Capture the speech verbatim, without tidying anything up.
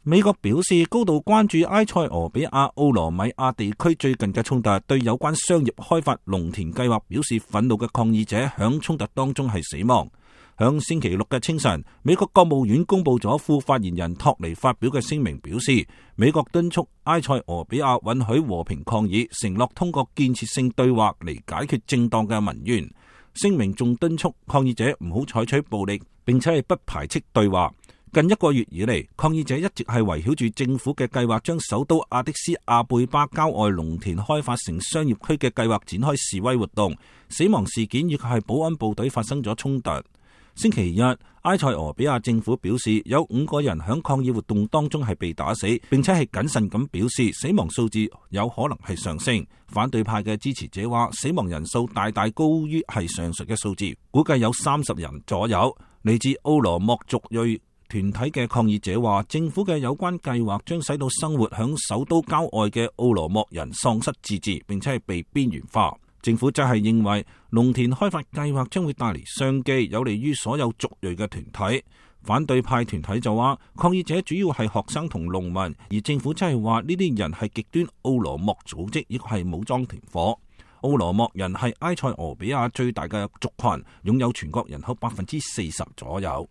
美國表示高度關注埃塞俄比亞奧羅米亞地區最近嘅衝突，對有關商業開發農田計劃表示憤怒嘅抗議者響衝突當中係死亡。響星期六嘅清晨，美國國務院公布咗副發言人托尼發表嘅聲明，表示美國敦促埃塞俄比亞允許和平抗議，承諾通過建設性對話嚟解決正當嘅民怨。聲明仲敦促抗議者唔好採取暴力，並且係不排斥對話。近一個月以嚟，抗議者一直係圍繞住政府嘅計劃，將首都阿迪斯阿貝巴郊外農田開發成商業區嘅計劃展開示威活動。死亡事件亦係保安部隊發生咗衝突。星期日，埃塞俄比亞政府表示有五個人響抗議活動當中係被打死，並且係謹慎咁表示死亡數字有可能係上升。反對派嘅支持者話死亡人數大大高於係上述嘅數字，估計有三十人左右。嚟自奧羅莫族裔團體嘅抗議者話，政府嘅有關計劃將使到生活響首都郊外嘅奧羅莫人喪失自治，並且係被邊緣化。政府則係認為農田開發計劃將會帶嚟商機，有利於所有族裔嘅團體。反對派團體就話，抗議者主要係學生同農民，而政府則係話呢啲人係極端奧羅莫組織，亦係武裝團伙。奧羅莫人係埃塞俄比亞最大嘅族群，擁有全國人口百分之四十左右。